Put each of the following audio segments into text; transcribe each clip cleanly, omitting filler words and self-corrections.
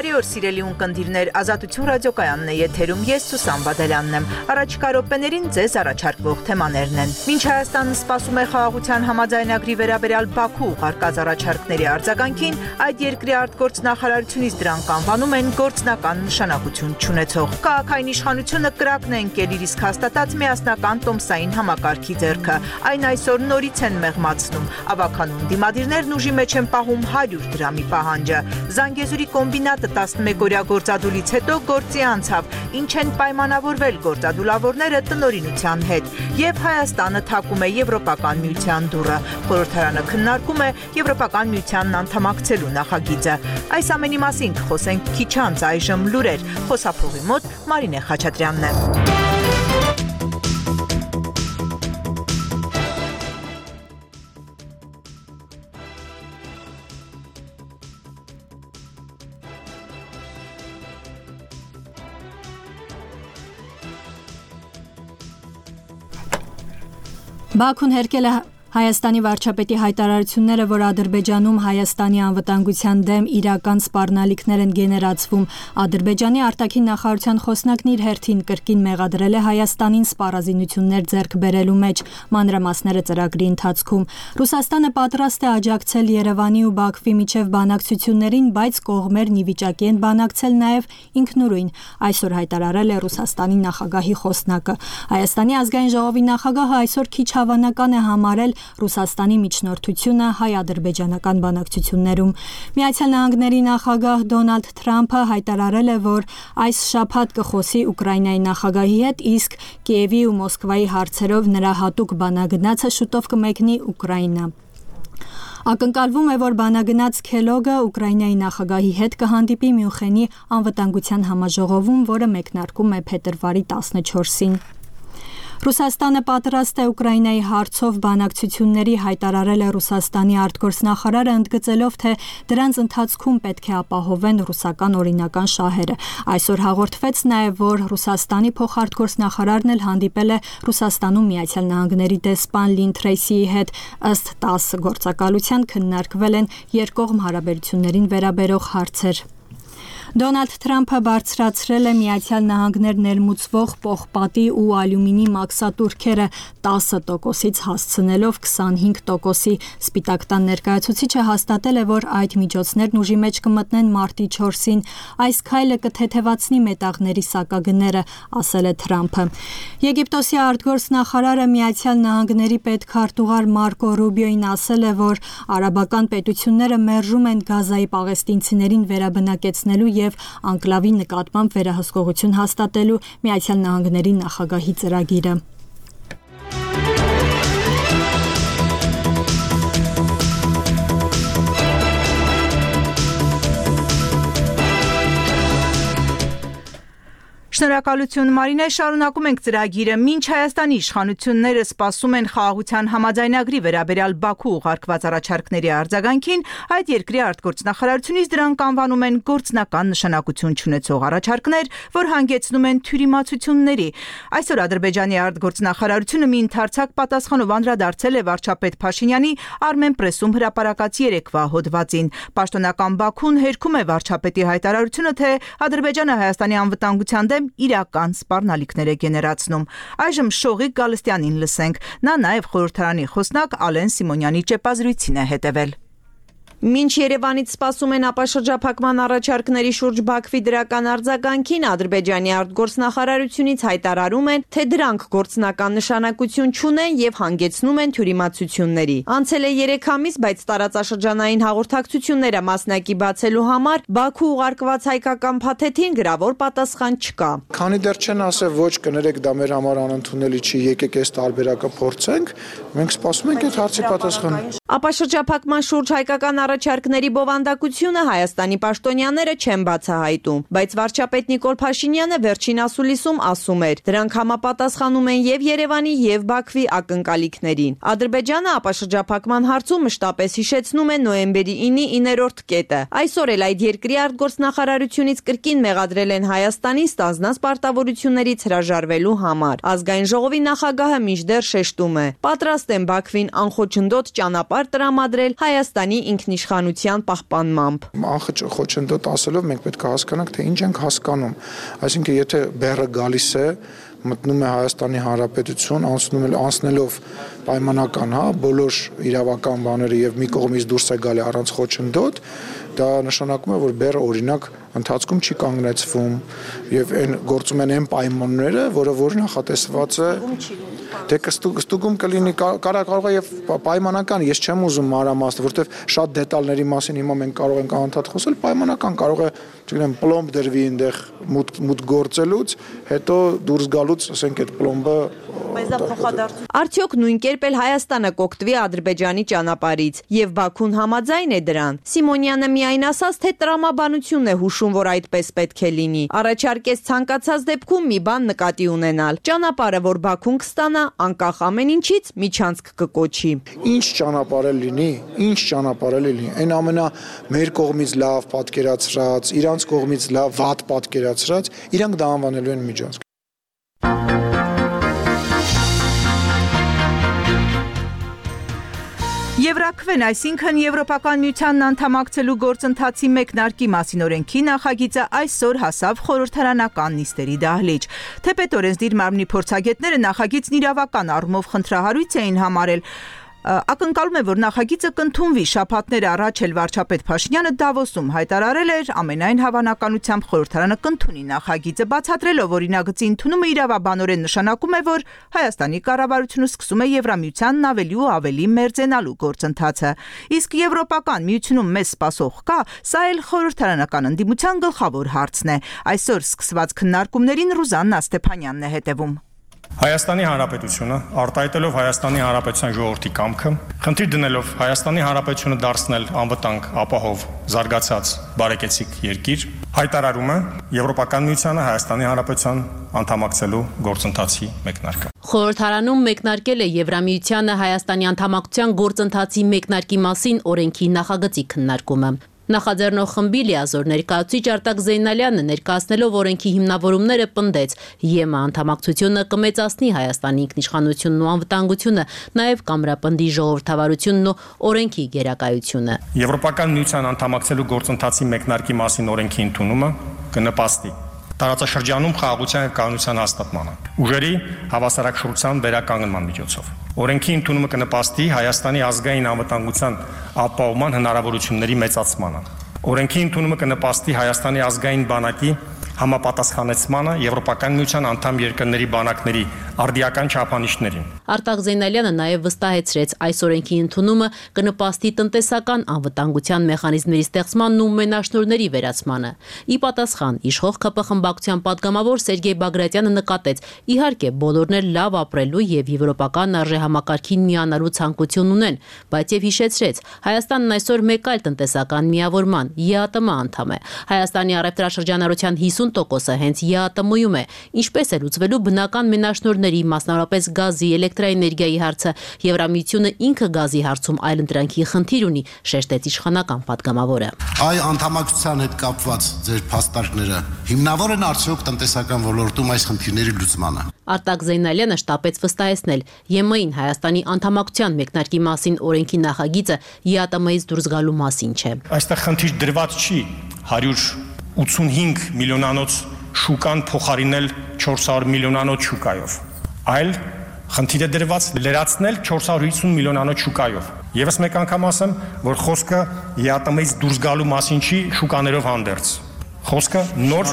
Բարի օր սիրելի ունկնդիրներ, Ազատություն ռադիոկայանն է եթերում, ես Սուսան Բադալյանն եմ։ Առաջիկա րոպեներին ձեզ առաջարկվող թեմաներն են։ Մինչ Հայաստանը սպասում է խաղաղության համաձայնագրի վերաբերյալ Բաքու ուղարկած առաջարկների արձագանքին, այդ երկրի արտգործնախարարությունից դրանք անվանում են գործնական նշանակություն չունեցող։ Քաղաքային իշխանությունը կրակն է ընկել իր իսկ հաստատած միասնական տոմսային համակարգի ձեռքը։ Այն այսօր նորից են մեղմացնում։ Ավագանուն դիմադիրներն ուժի մեջ են պահում 100 դրամի պահանջը։ Զանգեզուրի կոմբինատը 11-օրյա գործադուլից հետո գործի անցավ, ինչ են պայմանավորվել գործադուլավորները տնօրինության հետ, եւ Հայաստանը թակում է Եվրոպական միության դուռը։ Խորհրդարանը քննարկում է Եվրոպական միությանն անդամակցելու նախագիծը։ Այս ամենի մասին կխոսենք քիչ անց, այժմ լուրեր։ Խոսափողի մոտ Մարինե Խաչատրյանն է։ Բաքուն հերկել է Հայաստանի վարչապետի հայտարարությունները, որ Ադրբեջանում Հայաստանի անվտանգության դեմ իրական սպառնալիքներ են գեներացվում։ Ադրբեջանի արտաքին նախարարության խոսնակն իր հերթին կրկին մեղադրել է Հայաստանին սպառազինություններ ձեռք բերելու մեջ, մանրամասները ծրագրի ընթացքում։ Ռուսաստանը պատրաստ է աջակցել Երևանի ու Բաքվի միջև բանակցություններին, բայց կողմերն ի վիճակի են բանակցել նաև ինքնուրույն, այսօր հայտարարել է Ռուսաստանի նախագահի խոսնակը։ Հայաստանի ազգային ժողովի նախագահը այսօր քիչ հավանական է համարել Ռուսաստանի միջնորդությունը հայ-ադրբեջանական բանակցություններում։ Միացյալ Նահանգների նախագահ Դոնալդ Թրամփը հայտարարել է, որ այս շաբաթ կխոսի Ուկրաինայի նախագահի հետ, իսկ Կիևի ու Մոսկվայի հարցերով նրա հատուկ բանագնացը շուտով կմեկնի Ուկրաինա։ Ակնկալվում է, որ բանագնաց Քելոգը Ուկրաինայի նախագահի հետ կհանդիպի Մյունխենի անվտանգության համաժողովում, որը մեկնարկում է փետրվարի 14-ին։ Ռուսաստանը պատրաստ է Ուկրաինայի հարցով բանակցությունների, հայտարարել է Ռուսաստանի արտգործնախարարը, ընդգծելով, թե դրանց ընթացքում պետք է ապահովեն ռուսական օրինական շահերը։ Այսօր հաղորդվեց նաև, որ Ռուսաստանի փոխարտգործնախարարն էլ հանդիպել է Ռուսաստանում Միացյալ Նահանգների դեսպան Լին Թրեյսիի հետ, ըստ ՏԱՍՍ գործակալության քննարկվել են երկկողմ հարաբերություններին վերաբերող հարցեր։ Դոնալդ Թրամփը բարձրացրել է Միացյալ Նահանգներ ներմուծվող պողպատի ու ալյումինի մաքսատուրքերը 10%-ից հասցնելով 25%-ի։ Սպիտակ տան ներկայացուցիչը հաստատել է, որ այդ միջոցներն ուժի մեջ կմտնեն մարտի 4-ին։ Այս քայլը կթեթևացնի մետաղների սակագները, ասել է Թրամփը։ Եգիպտոսի արտգործնախարարը Միացյալ Նահանգների պետքարտուղար Մարկո Ռուբիոին ասել է, որ արաբական պետությունները մերժում են Գազայի պաղեստինցիներին վերաբնակեցնելու և անկլավի նկատմամբ վերահսկողություն հաստատելու Միացյալ Նահանգների նախագահի ծրագիրը։ Շնորհակալություն Մարինե, շարունակում ենք ծրագիրը։ Մինչ Հայաստանի իշխանությունները սպասում են խաղաղության համաձայնագրի վերաբերյալ Բաքու ուղարկված առաջարկների արձագանքին, այդ երկրի արտգործնախարարությունից դրանք անվանում են գործնական նշանակություն չունեցող առաջարկներ, որ հանգեցնում են թյուրիմացությունների։ Այսօր Ադրբեջանի արտգործնախարարությունը մի ընդարձակ պատասխանով անդրադարձել է վարչապետ Փաշինյանի Armenpress-ում հրապարակած երեկվա հոդվածին։ Պաշտոնական Բաքուն հերքում է վարչապետի հայտարարությունը, թե Ադրբեջանը Հայաստանի անվտանգության դեմ իրական սպառնալիքներ է գեներացնում։ Այժմ Շողիկ Գալստյանին լսենք։ Նա նաև խորհրդարանի խոսնակ Ալեն Սիմոնյանի ճեպազրույցին է հետևել։ Մինչ Երևանից սպասում են ապաշրջափակման առաջարկների շուրջ Բաքվի դրական արձագանքին, Ադրբեջանի արտգործնախարարությունից հայտարարում են, թե դրանք գործնական նշանակություն չունեն եւ հանգեցնում են թյուրիմացությունների։ Անցել է 3 ամիս, բայց տարածաշրջանային հաղորդակցությունները մասնակի բացելու համար Բաքու ուղարկված հայկական փաթեթին գրավոր պատասխան չկա։ Քանի դեռ չեն ասել ոչ, կներեք, դա մեր համար անընդունելի չի, եկեք այս տարբերակը փորձենք, մենք սպասում ենք այդ հարցի պատասխանը։ Ապաշրջափակման շուրջ հայկական առաջարկների բովանդակությունը Հայաստանի պաշտոնյաները չեն բացահայտում, բայց վարչապետ Նիկոլ Փաշինյանը վերջին ասուլիսում ասում էր, դրանք համապատասխանում են եւ Երևանի եւ Բաքվի ակնկալիքներին։ Ադրբեջանը ապաշրջափակման հարցում մշտապես հիշեցնում է նոյեմբերի 9-ի 9-րդ կետը։ Այսօր էլ այդ երկրի արտգործնախարարությունից կրկին մեղադրել են Հայաստանին ստանձնած պարտավորություններից հրաժարվելու համար։ Ազգային ժողովի նախագահը մինչդեռ շեշտում է, պատրաստ են Բաքվին անխոչնդոտ ճանապարհ տրամադրել Հայաստանի ինքնիշխանության ինքնիշխանության պահպանմամբ։ Անխճ խոչընդոտ ասելով մենք պետք է հասկանանք, թե ինչ ենք հասկանում։ Այսինքն եթե բեռը գալիս է, մտնում է Հայաստանի Հանրապետություն, անցնելով պայմանական, բոլոր իրավական բաները եւ մի կողմից դուրս է գալի առանց խոչընդոտ, դա նշանակում է, որ բեռը օրինակ ընթացքում չի կանգնեցվում եւ այն գործում են այն պայմանները, որ նախատեսված է դե կստուգում կլինի կարող է եւ պայմանական, ես չեմ ուզում մանրամասն, որովհետեւ շատ դետալների մասին հիմա մենք կարող ենք անընդհատ խոսել, պայմանական կարող է, չգիտեմ, պլոմբ դրվի այնտեղ մուտք գործելուց, հետո դուրս գալուց, ասենք այդ պլոմբը Արդյոք նույն կերպ էլ Հայաստանը կօգտվի Ադրբեջանի ճանապարհից եւ Բաքուն համաձայն է դրան։ Սիմոնյանը միայն ասաց, թե տրամաբանությունն է հուշում, որ այդպես պետք է լինի։ Առաջարկեց ցանկացած դեպքում մի բան նկատի ունենալ։ Ճանապարհը, որ Բաքուն կստանա, անկախ ամեն ինչից միջանցք կկոչի։ Ինչ ճանապարհ լինի, այն ամենա մեր կողմից լավ պատկերացրած, իրանց կողմից լավ վատ պատկերացրած, իրանք դա անվանելու են միջանցք։ Եվրաքվեն, այսինքն Եվրոպական միությանն անդամակցելու գործընթացի մեկնարկի մասին օրենքի նախագիծը այսօր հասավ խորհրդարանական նիստերի դահլիճ։ Թեպետ օրենսդիր մարմնի փորձագետները նախագիծն իրավական առումով խնդրահարույց էին համարել։ Ակնկալում է, որ նախագիծը կընդունվի։ Շաբաթներ առաջ էլ վարչապետ Փաշինյանը Դավոսում հայտարարել էր, ամենայն հավանականությամբ խորհրդարանը կընդունի նախագիծը, բացատրելով օրինագծի ընդունումը իրավաբանորեն նշանակում է, որ Հայաստանի կառավարությունը սկսում է Եվրամիությանն ավելի ու ավելի մերձենալու գործընթացը։ Իսկ Եվրոպական միությունում մեզ սպասող կա, սա էլ խորհրդարանական ընդդիմության գլխավոր հարցն է։ Այսօր սկսված քննարկումներին Ռուզաննա Ստեփանյանն է հետևում։ Հայաստանի Հանրապետությունը, արտահայտելով Հայաստանի Հանրապետության ժողովրդի կամքը, խնդիր դնելով Հայաստանի Հանրապետությունը դարձնել անվտանգ, ապահով, զարգացած, բարեկեցիկ երկիր, հայտարարում է Եվրոպական միությանը Հայաստանի Հանրապետության անդամակցելու գործընթացի մեկնարկը։ Խորհրդարանում մեկնարկել է Եվրամիությանը Հայաստանի անդամակցության գործընթացի մեկնարկի մասին օրենքի նախագծի քննարկումը։ Նախաձեռնող խմբի լիազոր ներկայացուցիչ Արտակ Զեյնալյանը ներկայացնելով օրենքի հիմնավորումները պնդեց, ԵՄ անդամակցությունը կմեծացնի Հայաստանի ինքնիշխանությունն ու անվտանգությունը, նաև կամրապնդի ժողովրդավարությունն ու օրենքի գերակայությունը։ Եվրոպական միության անդամակցելու գործընթացի մեկնարկի մասին օրենքի ընդունումը կնպաստի տարածաշրջանում խաղաղության և կայունության հաստատմանը, ուժերի հավասարակշռության վերականգնման միջոցով։ Օրենքի ընդունումը կնպաստի Հայաստանի ազգային անվտանգության ապահովման հնարավորությունների մեծացմանը։ Օրենքի ընդունումը կնպաստի Հայաստանի ազգային բանակի համապատասխանեցմանը Եվրոպական միության անդամ երկրների բանակների արդիական չափանիշներին։ Արտակ Զեյնալյանը նաև վստահեցրեց, այս օրենքի ընդունումը կնպաստի տնտեսական անվտանգության մեխանիզմների ստեղծմանն ու մենաշնորհների վերացմանը։ Ի պատասխան իշխող ԿՊ խմբակցության падգամավոր Սերգեյ Բագրատյանը նկատեց, իհարկե բոլորն էլ լավ ապրելու եւ եվրոպական արժեհամակարգին միանալու ցանկություն ունեն, բայց եւ հիշեցրեց, Հայաստանն այսօր մեկ այլ տնտեսական միավորման ԵԱՏՄ անդամ է։ Հայաստանի առևտրաշրջանառության 50%-ը հենց ԵԱՏՄ-ում է, ինչպես է լուծվելու բնական մենաշնորհների, մասնավորապես գազի, էլեկտրաէներգիայի հարցը։ Եվրամիությունը ինքը գազի հարցում այլընտրանքի խնդիր ունի, շեշտեց իշխանական падգամավորը։ Այ անդամակցության հետ կապված ձեր փաստարկները հիմնավոր են արդյոք տնտեսական ոլորտում այս խնդիրների լուծմանը։ Արտակ Զեյնալյանը շտապեց վստահեցնել, ԵՄ-ին Հայաստանի անդամակցության մեկնարկի մասին օրենքի նախագիծը ԵԱՏՄ-ից դուրս գալու մասին չէ։ Այստեղ խնդիր դրված չի 185 միլիոնանոց շուկան փոխարինել 400 միլիոնանոց շուկայով, այլ խնդիր է դրված լրացնել 450 միլիոնանոց շուկայով։ Եվս մեկ անգամ ասեմ, որ խոսքը ԵԱՏՄ-ից դուրս գալու մասին չի, շուկաներով հանդերձ։ Խոսքը նոր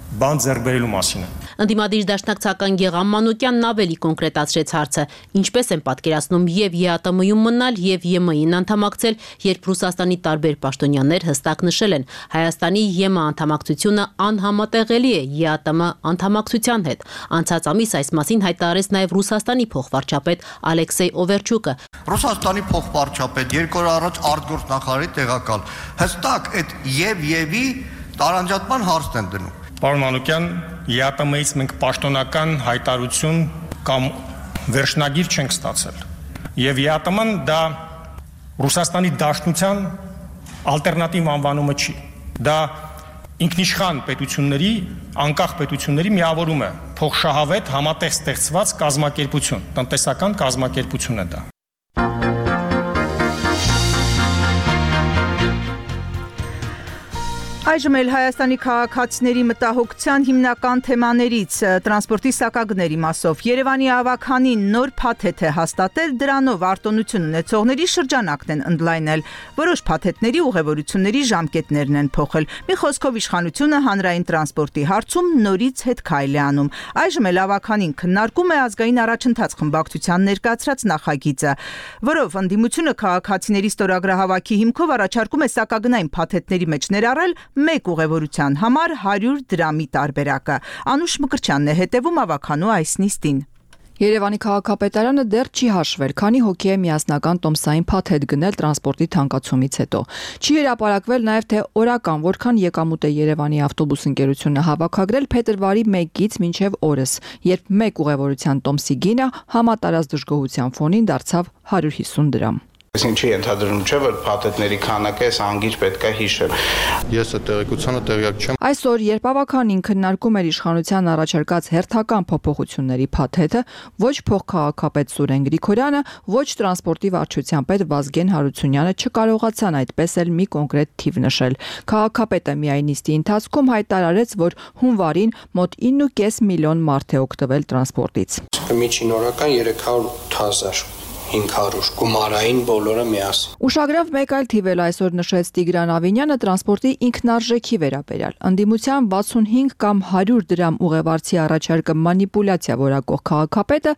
բան ձեռք բերելու մասին է։ Ընդդիմադիր դաշնակցական Գեղամ Մանուկյանն ավելի կոնկրետացրեց հարցը, ինչպես են պատկերացնում եւ ԵԱՏՄ-ում մնալ եւ ԵՄ-ին անդամակցել, երբ Ռուսաստանի տարբեր պաշտոնյաներ հստակ նշել են, Հայաստանի ԵՄ անդամակցությունը անհամատեղելի է ԵԱՏՄ անդամակցության հետ։ Անցած ամիս այս մասին հայտարարեց նաեւ Ռուսաստանի փոխվարչապետ Ալեքսեյ Օվերչուկը։ Ռուսաստանի փոխվարչապետ երկու օր առաջ արտգործնախարարի տեղակալ հստակ այդ եւ-ի տարանջատման հարցն են դնում։ Պարոն Մանուկյան, ԵԱՏՄ-ից մենք պաշտոնական հայտարարություն կամ վերջնագիր չենք ստացել։ Եվ ԵԱՏՄ-ն դա Ռուսաստանի Դաշնության ալտերնատիվ անվանումը չի։ Դա ինքնիշխան պետությունների, անկախ պետությունների միավորում է, փոխշահավետ համատեղ ստեղծված կազմակերպություն, տնտեսական կազմակերպություն է դա։ Այժմ էլ Հայաստանի քաղաքացիների մտահոգության հիմնական թեմաներից տրանսպորտի սակագների մասով Երևանի ավագանին նոր փաթեթ է հաստատել, դրանով արտոնություն ունեցողների շրջանակն են ընդլայնել, որոշ փաթեթների ուղևորությունների ժամկետներն են փոխել։ Մի խոսքով իշխանությունը հանրային տրանսպորտի հարցում նորից հետ քայլ է անում։ Այժմ էլ ավագանին քննարկում է ազգային առաջընթաց խմբակցության ներկայացրած նախագիծը, որով ընդդիմությունը քաղաքացիների ստորագրահավաքի հիմքով առաջարկում է սակագնային փաթեթների մեջ ներառել մեկ ուղևորության համար 100 դրամի տարբերակը։ Անուշ Մկրտչյանն է հետևում ավագանու այս նիստին։ Երևանի քաղաքապետարանը դեռ չի հաշվել, քանի հոգի է միասնական տոմսային փաթեթ գնել տրանսպորտի թանկացումից հետո։ Չի հրապարակվել նաև թե օրական որքան եկամուտ է Երևանի ավտոբուս ընկերությունը հավաքագրել փետրվարի 1-ից մինչև օրս, երբ մեկ ուղևորության տոմսի գինը համատարած դժգոհության ֆոնին դարձավ 150 դրամ։ Ինչի ենթադրում չէ, որ փաթեթների քանակը այս անգիր պետք է հիշել։ Ես այդ տեղեկությանը տեղյակ չեմ։ Այսօր, երբ ավագանին քննարկում էր իշխանության առաջարկած հերթական փոփոխությունների փաթեթը, ոչ փոխքաղաքապետ Սուրեն Գրիգորյանը, ոչ տրանսպորտի վարչության պետ Վազգեն Հարությունյանը չկարողացան այդպես էլ մի կոնկրետ թիվ նշել։ Քաղաքապետը միայն նիստի ընթացքում հայտարարեց, որ հունվարին մոտ 9.5 միլիոն մարդ է օգտվել տրանսպորտից։ Միջին օրական 300,000 500 գումարային բոլորը միասին։ Ուշագրավ մեկ այլ թիվ էլ այսօր նշեց Տիգրան Ավինյանը տրանսպորտի ինքնարժեքի վերաբերյալ։ Ընդդիմության 65 կամ 100 դրամ ուղևորցի առաջարկը մանիպուլյացիա որակող քաղաքապետը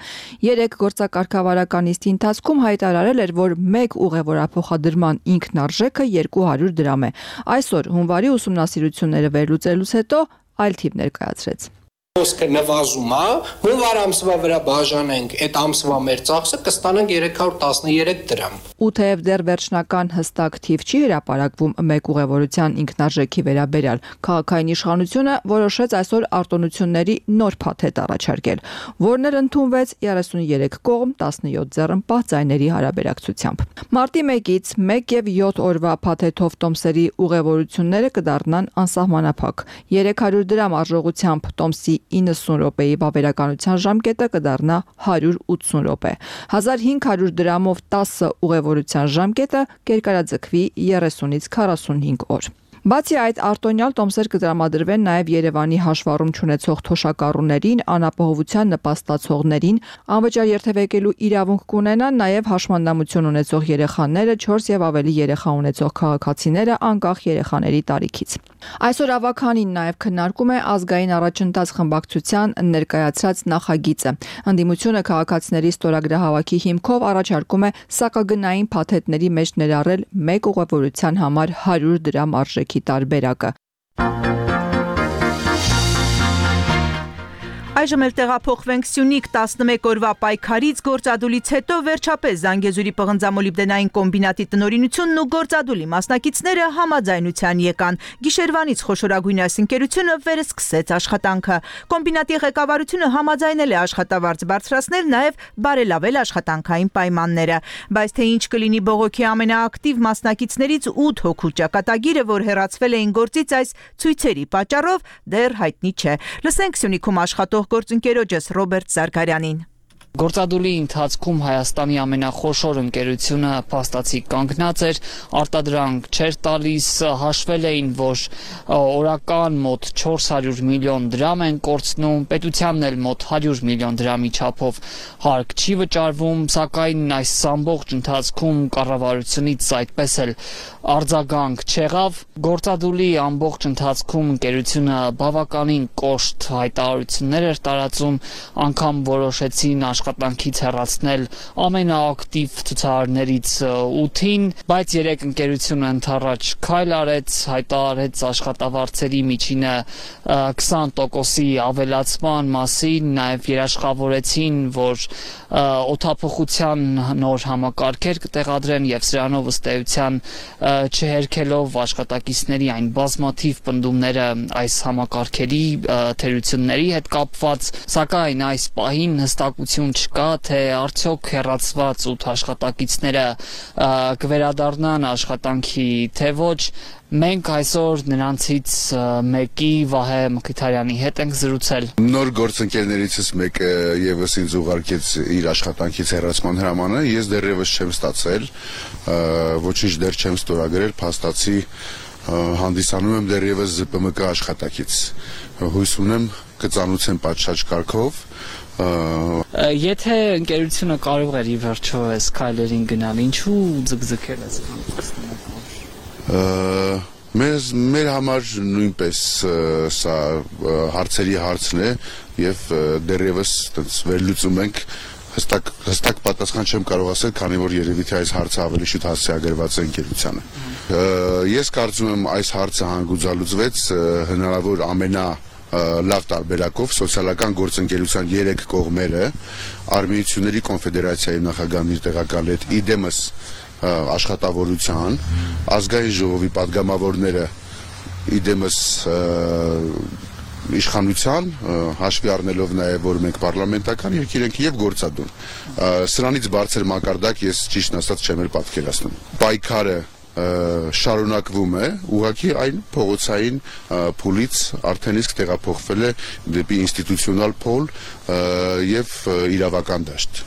երեք գործակարգավարական նիստի ընթացքում հայտարարել էր, որ մեկ ուղևորափոխադրման ինքնարժեքը 200 դրամ է։ Այսօր հունվարի ուսումնասիրությունները վերլուծելուց հետո այլ թիվ ներկայացրեց։ Խոսքը նվազում է, հունվար ամսվա վրա բաժանենք, այդ ամսվա մեր ծախսը կստանանք 313 դրամ։ Ու թեև դեռ վերջնական հստակ թիվ չի հրապարակվում մեկ ուղևորության ինքնարժեքի վերաբերյալ, քաղաքային իշխանությունը որոշեց այսօր արտոնությունների նոր փաթեթ առաջարկել, որն էլ ընդունվեց 33 կողմ 17 ձեռնպահ ձայների հարաբերակցությամբ։ Մարտի 1-ից 1 եւ 7 օրվա փաթեթով տոմսերի ուղևորությունները կդառնան անսահմանափակ։ 300 դրամ արժողությամբ տոմսի 90 րոպեի վավերականության ժամկետը կդառնա 180 րոպե։ 1500 դրամով 10 ուղևորության ժամկետը կերկարաձգվի 30-ից 45 օր։ Բացի այդ, արտոնյալ տոմսեր կտրամադրվեն նաև Երևանի հաշվառում չունեցող թոշակառուներին, անապահովության նպաստացողներին, անվճար երթևեկելու իրավունք կունենան նաև հաշմանդամություն ունեցող երեխաները, 4 եւ ավելի երեխա ունեցող քաղաքացիները, անկախ երեխաների տարիքից։ Այսօր ավագանին նաև քննարկում է ազգային առաջընթաց խմբակցության ներկայացրած նախագիծը։ Ընդդիմությունը քաղաքացիների ստորագրահավաքի հիմքով առաջարկում է սակագնային փաթեթների մեջ ներառել մեկ ուղևորության համար 100 դրամ արժեքի տարբերակը։ Այժմ էլ տեղափոխվենք Սյունիք 11 օրվա պայքարից գործադուլից հետո վերջապես Զանգեզուրի պղնձամոլիբդենային կոմբինատի տնօրինությունն ու գործադուլի մասնակիցները համաձայնության եկան։ Գիշերվանից խոշորագույն այս ընկերությունը վերսկսեց աշխատանքը։ Կոմբինատի ղեկավարությունը համաձայնել է աշխատավարձ բարձրացնել, նաև բարելավել աշխատանքային պայմանները։ Բայց թե ինչ կլինի բողոքի ամենաակտիվ մասնակիցներից 8 հոգու ճակատագիրը, որ հեռացվել էին գործից այս ցույցերի պատճառով, դեռ հայտնի չէ։ Լսենք Սյունիքում աշխատող գործընկերոջս Ռոբերտ Զարգարյանին։ Գործադուլի ընթացքում Հայաստանի ամենախոշոր ընկերությունը փաստացի կանգնած էր, արտադրանք չէր տալիս, հաշվել էին, որ օրական մոտ 400 միլիոն դրամ են կորցնում, պետությանն էլ մոտ 100 միլիոն դրամի չափով հարկ չի վճարվում, սակայն այս ամբողջ ընթացքում կառավարությունից այդպես էլ արձագանք չեղավ։ Գործադուլի ամբողջ ընթացքում ընկերությունը բավականին կոշտ հայտարարություններ էր տարածում, անգամ որոշեցին աշխատանքից հեռացնել ամենաակտիվ ցուցարարներից 8-ին, բայց երեք ընկերությունը ընդառաջ քայլ արեց, հայտարարեց աշխատավարձերի միջինը 20%-ի ավելացման մասին, նաև երաշխավորեցին, որ օդափոխության նոր համակարգեր կտեղադրեն եւ սրանով ըստ էության չհերքելով աշխատակիցների այն բազմաթիվ պնդումները այս համակարգերի թերությունների հետ կապված, սակայն այս պահին հստակություն չկա, թե արդյոք հեռացված 8 աշխատակիցները կվերադառնան աշխատանքի, թե ոչ։ Մենք այսօր նրանցից մեկի Վահե Մկրտարյանի հետ ենք զրուցել։ Նոր գործընկերներիցս մեկը եւս ինձ ուղարկեց իր աշխատանքից հեռացման հրամանը, ես դեռևս չեմ ստացել, ոչինչ դեռ չեմ ստորագրել, փաստացի հանդիսանում եմ դեռևս ԶՊՄԿ աշխատակից։ Հույս ունեմ կծանուցեմ պատշաճ կարգով։ Եթե ընկերությունը կարող էր ի վերջո այս քայլերին գնալ, ինչու ձգձգել այս Մեր համար նույնպես սա հարցերի հարցն է եւ դեռևս վերլուծում ենք հստակ պատասխան չեմ կարող ասել, քանի որ երևի թե այս հարցը ավելի շուտ հասցեագրված է ընկերությանը։ Ես կարծում եմ այս հարցը հանգուցալուծվեց հնարավոր լավ տարբերակով սոցիալական գործընկերության 3 կողմերը Արմենիությունների կոնֆեդերացիայի նախագահն իր տեղակալ հետ իդեմս աշխատավորության, ազգային ժողովի падգամավորները իդեմս իշխանության, հաշվի առնելով նաև որ մենք պարլամենտական երկիր ենք եւ գործադուն։ Սրանից բարձր մակարդակ ես ճիշտ ասած չեմ էլ պատկերացնում։ Պայքարը շարունակվում է, ուղղակի այն փողոցային փուլից արդեն իսկ տեղափոխվել է դեպի ինստիտուցիոնալ փոլ եւ իրավական դաշտ։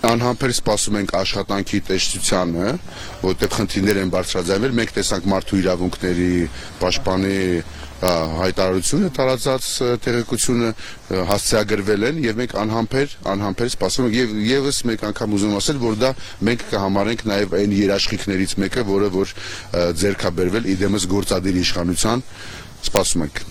Անհամբեր սպասում ենք աշխատանքի տեսչությանը, որտեղ խնդիրներ են բարձրաձայնել, մենք տեսանք մարդու իրավունքների պաշտպանի հայտարարությունը տարածած տեղեկությունը հասցեագրվել են եւ մենք անհամբեր սպասում ենք եւ եւս մեկ անգամ ուզում ասել, որ դա մենք կհամարենք նաեւ այն երաշխիքներից մեկը, որը որ ձեռքաբերվել իդեմս գործադիր իշխանության, սպասում ենք։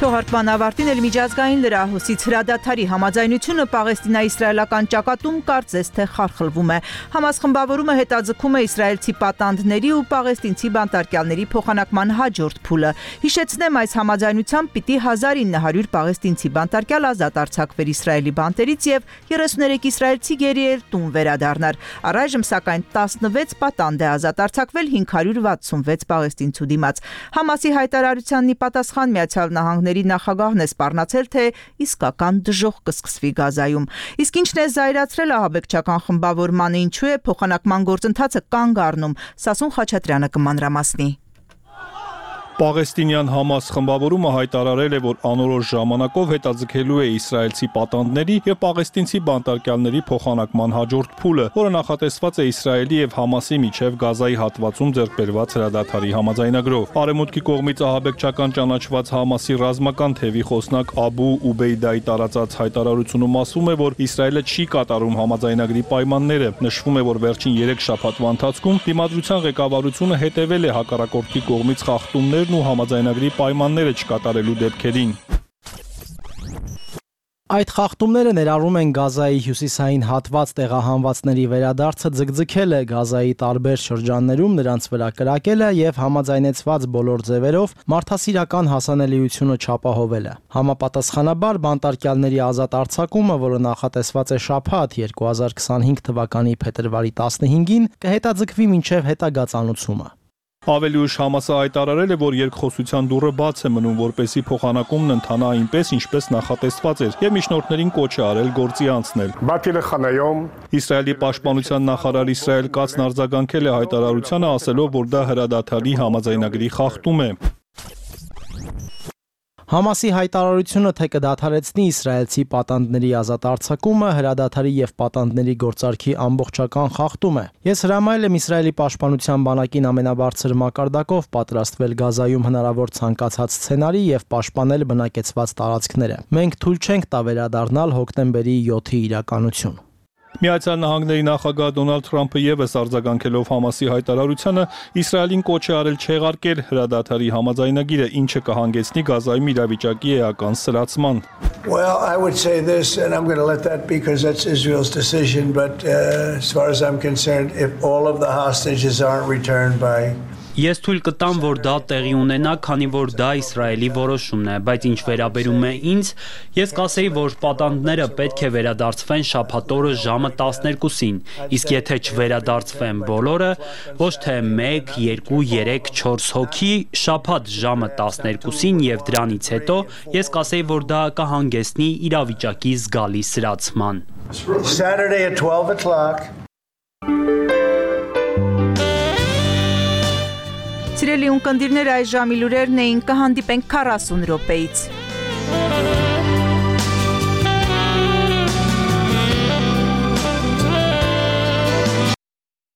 Թողարկման ավարտին էլ միջազգային լրահոսից հրադադարի համաձայնությունը Պաղեստինա-իսրայելական ճակատում կարծես թե խարխլվում է։ Համաս խմբավորումը հետաձգում է իսրայելցի պատանդների ու պաղեստինցի բանտարկյալների փոխանակման հաջորդ փուլը։ Հիշեցնեմ, այս համաձայնությամբ պիտի 1900 պաղեստինցի բանտարկյալ ազատ արձակվեր Իսրայելի բանտերից եւ 33 իսրայելցի գերիեր տուն վերադառնար։ Առայժմ սակայն 16 պատանդ է ազատ արձակվել 566 պաղեստինցու դիմաց։ Համասի հայտարարությանն ի պատասխան Միացյալ Նահանգների նախագահն է սպառնացել, թե իսկական դժոխք կսկսվի Գազայում։ Իսկ ինչն է զայրացրել ահաբեկչական խմբավորմանը, ինչու է փոխանակման գործընթացը կանգ առնում, Սասուն Խաչատրյանը կմանրամասնի։ Պաղեստինյան Համաս խմբավորումը հայտարարել է, որ անորոշ ժամանակով հետաձգելու է իսրայելցի պատանդների եւ պաղեստինցի բանտարկյալների փոխանակման հաջորդ փուլը, որը նախատեսված է Իսրայելի եւ Համասի միջև Գազայի հատվածում ձեռքբերված հրադադարի համաձայնագրով։ Արևմուտքի կողմից ահաբեկչական ճանաչված Համասի ռազմական թևի խոսնակ Աբու Ուբեյդայի տարածած հայտարարությունում ասվում է, որ Իսրայելը չի կատարում համաձայնագրի պայմանները։ Նշվում է, որ վերջին 3 շաբաթվա ընթացքում դիմադրության ղեկավարությունը հետևել է հակառակորդի կողմից խախտումներ ու համաձայնագրի պայմանները չկատարելու դեպքերին։ Այդ խախտումները ներառում են Գազայի հյուսիսային հատված տեղահանվածների վերադարձը ձգձգելը, Գազայի տարբեր շրջաններում նրանց վրա կրակելը եւ համաձայնեցված բոլոր ձևերով մարդասիրական հասանելիությունը չապահովելը։ Համապատասխանաբար բանտարկյալների ազատ արձակումը, որը նախատեսված է շաբաթ 2025 թվականի փետրվարի 15-ին, կհետաձգվի մինչև հետագա ծանուցումը։ Ավելի ուշ Համասը հայտարարել է, որ երկխոսության դուռը բաց է մնում, որպեսզի փոխանակումն ընթանա այնպես, ինչպես նախատեսված էր, եւ միջնորդներին կոչ է արել գործի անցնել։ Իսրայելի պաշտպանության նախարար Իսրայել Կացն արձագանքել է հայտարարությանը, ասելով, որ դա հրադադարի համաձայնագրի խախտում է։ Համասի հայտարարությունը թե կդադարեցնի իսրայելցի պատանդների ազատ արձակումը, հրադադարի եւ պատանդների գործարքի ամբողջական խախտում է։ Ես հրամայել եմ Իսրայելի պաշտպանության բանակին ամենաբարձր մակարդակով պատրաստվել Գազայում հնարավոր ցանկացած սցենարի եւ պաշտպանել բնակեցված տարածքները։ Մենք թույլ չենք տա վերադառնալ հոկտեմբերի 7-ի իրականություն։ Միացյալ Նահանգների նախագահ Դոնալդ Թրամփը եւս արձագանքելով Համասի հայտարարությանը Իսրայելին կոչ է արել չեղարկել հրադադարի համաձայնագիրը, ինչը կհանգեցնի Գազայում իրավիճակի էական սրացման։ Well, I would say this, and I'm going to let that be because that's Israel's decision, but as far as I'm concerned, if all of the hostages aren't returned by Ես թույլ կտամ, որ դա տեղի ունենա, քանի որ դա Իսրայելի որոշումն է, բայց ինչ վերաբերում է ինձ, ես կասեի, որ պատանդները պետք է վերադարձվեն շաբաթ օրը ժամը 12-ին, իսկ եթե չվերադարձվեն բոլորը, ոչ թե 1, 2, 3, 4 հոգի, շաբաթ ժամը 12-ին եւ դրանից հետո, ես կասեի, որ դա կհանգեցնի իրավիճակի զգալի սրացման։ Saturday at 12 o'clock. Սիրելի ունկնդիրներ, այս ժամի լուրերն էին, կհանդիպենք 40 րոպեից։